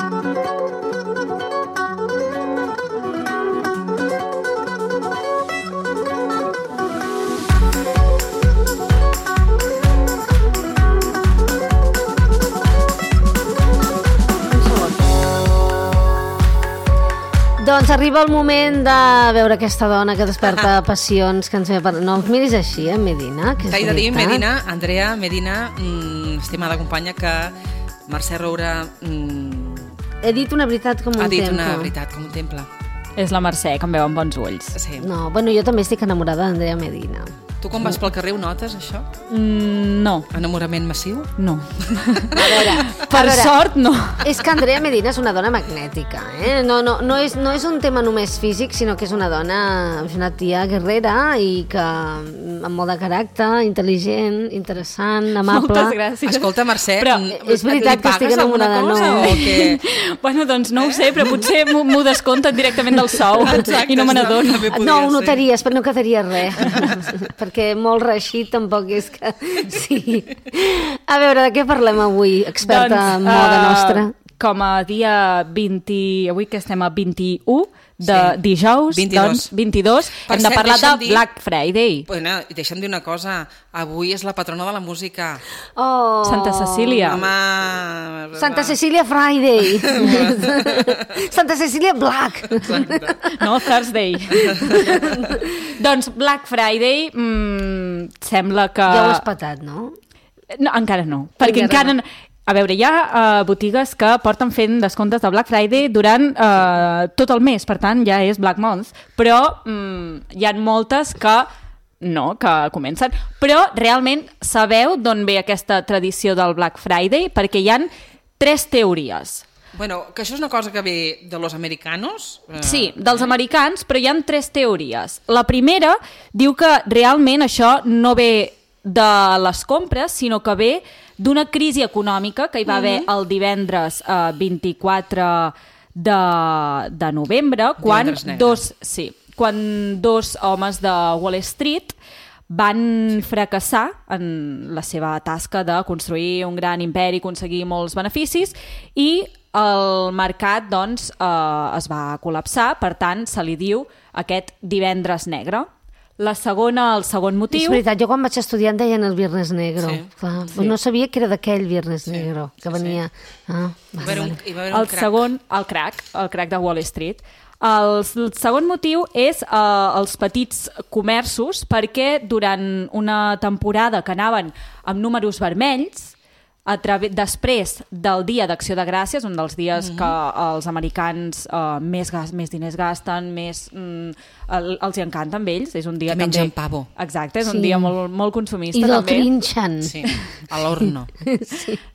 Doncs arriba el moment de veure aquesta dona que desperta passions, que ens ve per... No ens miris així, Medina, que és T'he de dir, veritat. Medina, Andrea, Medina, estimada companya, que Mercè Roura He dit una veritat com un temple. ha dit una veritat com un temple. És la Mercè, que em veu amb bons ulls. Sí. No, bueno, jo també estic enamorada d'Andrea Medina. Tu quan vas pel carrer ho notes, això? No. Enamorament massiu? No. A veure, Per sort, no. És que Andrea Medina és una dona magnètica, eh? No és un tema només físic, sinó que és una dona, és una tia guerrera i que amb molt de caràcter, intel·ligent, interessant, amable. Moltes gràcies. Escolta, Mercè, Però és veritat que estic enamorada, cosa, no. o què? Bueno, doncs no ho sé, però potser m'ho descompten directament del sou i no me n'adono. també podria No, ho ser. notaries, però no quedaria res. Perquè molt reeixit tampoc és que... Sí. A veure, de què parlem avui, experta en moda nostra? Com a dia 20... Avui que estem a 21 de dijous, 22. doncs 22, Per hem de cert, parlar de deixa'm dir- Black Friday. Bueno, i deixa'm dir una cosa. Avui és la patrona de la música. Oh, Santa Cecília. Home... Santa Cecília Friday. Santa Cecília Black. No, Thursday. Doncs Black Friday sembla que... Ja ho has patat, no? No, encara no, perquè Encara encara... A veure, hi ha botigues que porten fent descomptes de Black Friday durant tot el mes, per tant ja és Black Month, però hi ha moltes que no, que comencen. Però realment sabeu d'on ve aquesta tradició del Black Friday? Perquè hi han 3 teories. Bueno, que això és una cosa que ve de los americanos. Sí, dels americans, però hi ha 3 teories. La primera diu que realment això no ve de les compres, sinó que ve d'una crisi econòmica que hi va haver el divendres 24 de novembre, quan quan 2 homes de Wall Street van fracassar en la seva tasca de construir un gran imperi, aconseguir molts beneficis, i el mercat doncs, es va col·lapsar, per tant se li diu aquest divendres negre. El segon motiu... És veritat, jo quan vaig estudiar em deien el Viernes Negro. Sí. Clar, no sabia que era d'aquell Viernes Negro, que venia... Ah, Hi va haver un El crac. segon, el crac de Wall Street. El segon motiu és els petits comerços, perquè durant una temporada que anaven amb números vermells, després del Dia d'Acció de Gràcies, un dels dies que els americans més diners gasten, els hi encanta amb ells, és un dia que mengen pavo. Exacte, és un dia molt consumista. I lo també. trinxen. Sí, a l'horno.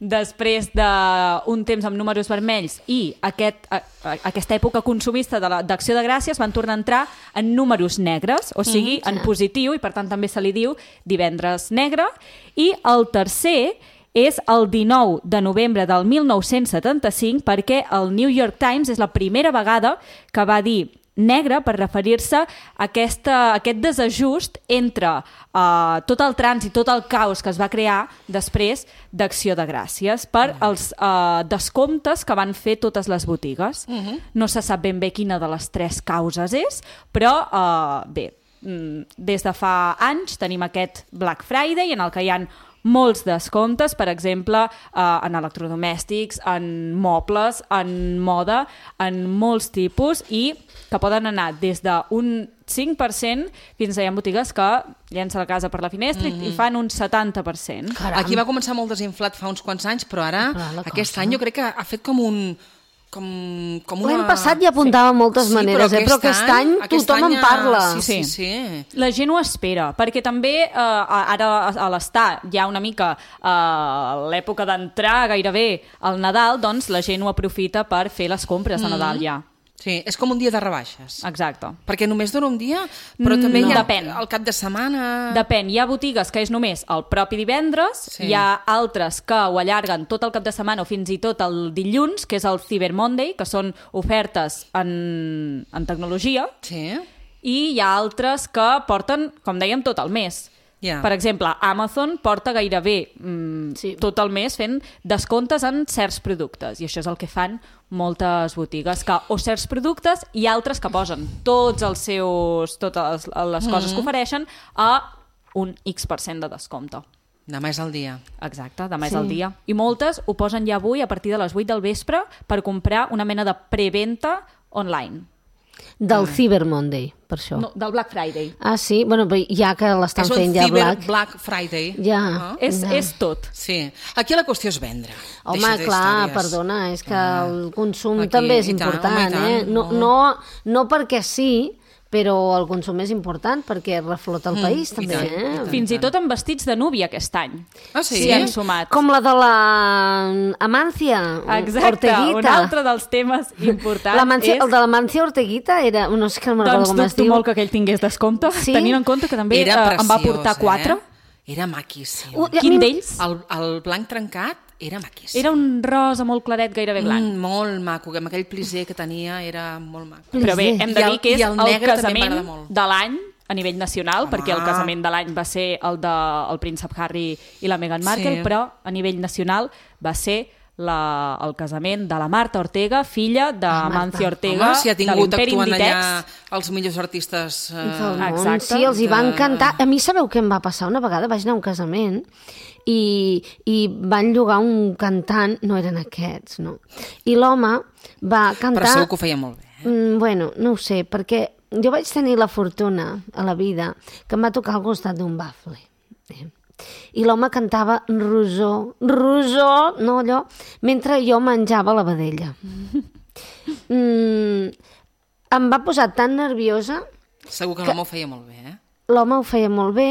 Després d'un temps amb números vermells i aquesta època consumista d'Acció de Gràcies van tornar a entrar en números negres, o sigui, en positiu, i per tant també se li diu divendres negre. I el tercer és el 19 de novembre del 1975, perquè el New York Times és la primera vegada que va dir negre per referir-se a aquest desajust entre tot el trànsit, tot el caos que es va crear després d'Acció de Gràcies per els descomptes que van fer totes les botigues. No se sap ben bé quina de les 3 causes és, però bé, des de fa anys tenim aquest Black Friday en el que hi ha molts descomptes, per exemple, en electrodomèstics, en mobles, en moda, en molts tipus, i que poden anar des d'un 5% fins a hi ha botigues que llença la casa per la finestra i fan un 70%. Caram. Aquí va començar molt desinflat fa uns quants anys, però ara, aquest any jo crec que ha fet com una... L'any passat ja apuntava moltes maneres, però aquest any tothom en parla. Sí. La gent ho espera, perquè també ara a l'estar ja una mica l'època d'entrar gairebé al Nadal, doncs la gent ho aprofita per fer les compres de Nadal ja. Sí, és com un dia de rebaixes. Exacte. Perquè només dura un dia, però també hi ha depèn. el cap de setmana... Depèn, hi ha botigues que és només el propi divendres, hi ha altres que ho allarguen tot el cap de setmana o fins i tot el dilluns, que és el Cyber Monday, que són ofertes en tecnologia, Sí. i hi ha altres que porten, com dèiem, tot el mes. Ja. Per exemple, Amazon porta gairebé Sí. tot el mes fent descomptes en certs productes, i això és el que fan moltes botigues, que o certs productes i altres que posen totes les coses que ofereixen a un X% de descompte. Demà és el dia. Exacte, demà és el dia. I moltes ho posen ja avui a partir de les 8 del vespre per comprar una mena de preventa online. Del Cyber Monday, per això. No, del Black Friday. Ah, sí? Bueno, però ja que l'estan És un fent ja Black Friday. Ja. És tot. Sí. Aquí la qüestió és vendre. Home, Deixa clar, d'històries. perdona, és que el consum Aquí, també és i tant, important, home, i eh? tant, No perquè sí, però el consum és important perquè reflota el país, i també, tant, i eh? tant. Fins i tot amb vestits de núvia aquest any. Ah, sí? S'hi han sumat. Com la de la Amancia Exacte, Orteguita. un altre dels temes importants El és... de l'Amancia Orteguita era... No sé que no me'n recordo Doncs com es dubto diu. molt que aquell tingués descompte, Sí? tenint en compte que també Era em va preciós, portar 4. Era maquíssim. I a Quin mi- d'ells? El blanc trencat era maquíssim. Era un rosa molt claret, gairebé blanc. Molt maco, que amb aquell plisser que tenia era molt maco. Però bé, hem de I dir que és i el negre també casament m'agrada molt. de l'any a nivell nacional, Home. perquè el casament de l'any va ser el del príncep Harry i la Meghan Markle, Sí. però a nivell nacional va ser el casament de la Marta Ortega, filla de Mancio Ortega, Home, si ha de tingut l'Imperi actuant Inditex. allà els millors artistes... Del món. Exacte. Sí, els hi van cantar. A mi sabeu què em va passar? Una vegada vaig anar a un casament i van llogar un cantant, no eren aquests, no. I l'home va cantar... Però segur que ho feia molt bé. Bueno, no ho sé, perquè jo vaig tenir la fortuna a la vida que em va tocar al costat d'un bafle. I l'home cantava rosó, no allò, mentre jo menjava la vedella. Em va posar tan nerviosa, Segur que l'home ho feia molt bé, eh? l'home ho feia molt bé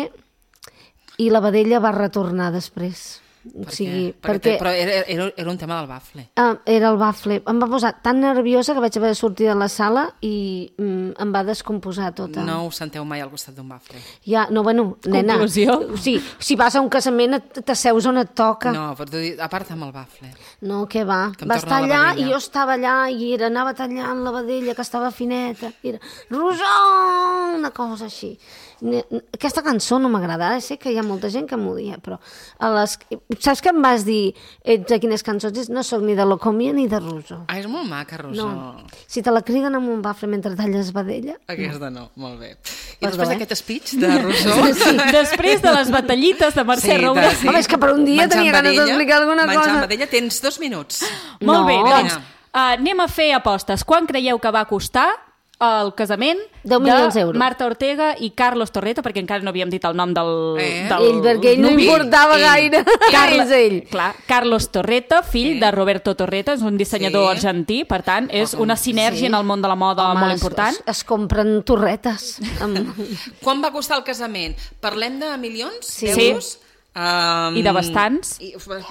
i la vedella va retornar després. O sigui, perquè Però era un tema del bafle. era el bafle. Em va posar tan nerviosa que vaig haver de sortir de la sala i em va descomposar tota. No us senteu mai al costat d'un bafle. Ja, no, bueno, nena. Conclusió? Sí, si vas a un casament t'asseus on et toca. No, però a part amb el bafle. No, què va? Que em Va torna estar la allà vedella. i jo estava allà i anava tallant la vedella, que estava fineta. I era, Rosó! Una cosa així. Aquesta cançó no m'agrada. Ara sé que hi ha molta gent que m'odia, però saps que em vas dir de quines cançons és? No sóc ni de Locomia ni de Rosó. Ah, és molt maca, Rosó. No. Si te la criden amb un bafle mentre talles vedella... Aquesta no, molt bé. I Perdó, després d'aquest speech de Rosó... Després de les batallites de Mercè Roura... Home, és que per un dia tenia ganes d'explicar alguna cosa. Menjant vedella, tens 2 minuts. Molt bé, No. doncs anem a fer apostes. Quan creieu que va costar el casament 10 milions d'euros. Marta Ortega i Carlos Torreta, perquè encara no havíem dit el nom del Ell, perquè ell no nuvi. importava gaire. És ell. Clar, Carlos Torreta, fill de Roberto Torreta, és un dissenyador Sí. argentí, per tant, és una sinergia en el món de la moda Home, molt important. Es compren torretes. Quan va costar el casament? Parlem de milions Sí. d'euros? I de bastants.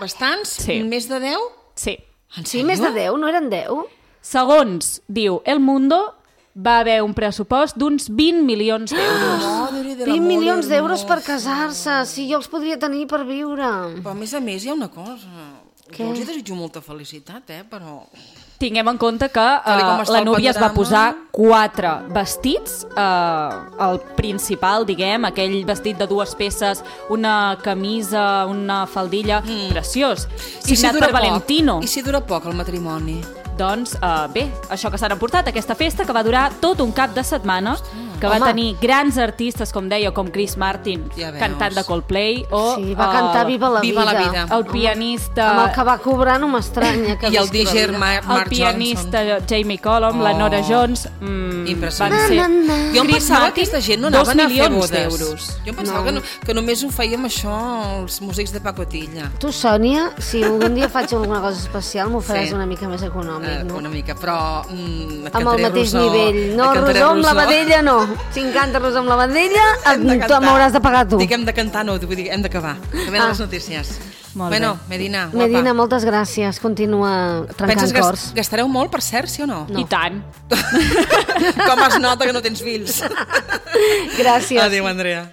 Bastants? Sí. Més de 10? Sí. En Sí, sèrio? més de 10, no eren 10? Segons diu El Mundo, va haver un pressupost d'uns 20 milions d'euros. Madre de 20 l'amor milions d'euros hermoso. per casar-se. Sí, jo els podria tenir per viure. Però a més hi ha una cosa. Què? Jo els hi desitjo molta felicitat, però... Tinguem en compte que Tal com està la el Núria es va panorama. posar 4 vestits, el principal, diguem, aquell vestit de 2 peces, una camisa, una faldilla, preciós, signat per Valentino. I si dura poc el matrimoni? Doncs bé, això que s'han emportat, aquesta festa que va durar tot un cap de setmana, que va Home. tenir grans artistes, com deia, com Chris Martin, Ja veus. cantant de Coldplay, o Sí, va cantar Viva la Viva la vida. vida. el pianista... Amb el que va cobrar no m'estranya. Que I el visqui la DJ vida. Mark el pianista Johnson. Jamie Cullum, la Nora Jones, Impressionant. van ser... Na, na, na. Jo em Chris pensava que Martin, aquesta gent no 2 anaven a fer milions bodes. d'euros. Jo em pensava que només ho fèiem això els músics de pacotilla. Tu, Sònia, si algun dia faig alguna cosa especial, m'ho faràs Sí. una mica més econòmic, no? Una mica, però et Amb el cantaré mateix Rosó. nivell. No, Et cantaré Rosó amb la Rosó. vedella no. Si encanta Rosó amb la vedella, Hem de cantar. m'hauràs de pagar tu. Dic hem de cantar, no, vull dir, hem d'acabar. Que venen les notícies. Molt bueno, bé. Medina, guapa. Medina, moltes gràcies. Continua trencant Penses que cors. gastareu molt, per cert, sí o no? I tant. Com es nota que no tens fills? Gràcies. Adéu, Andrea.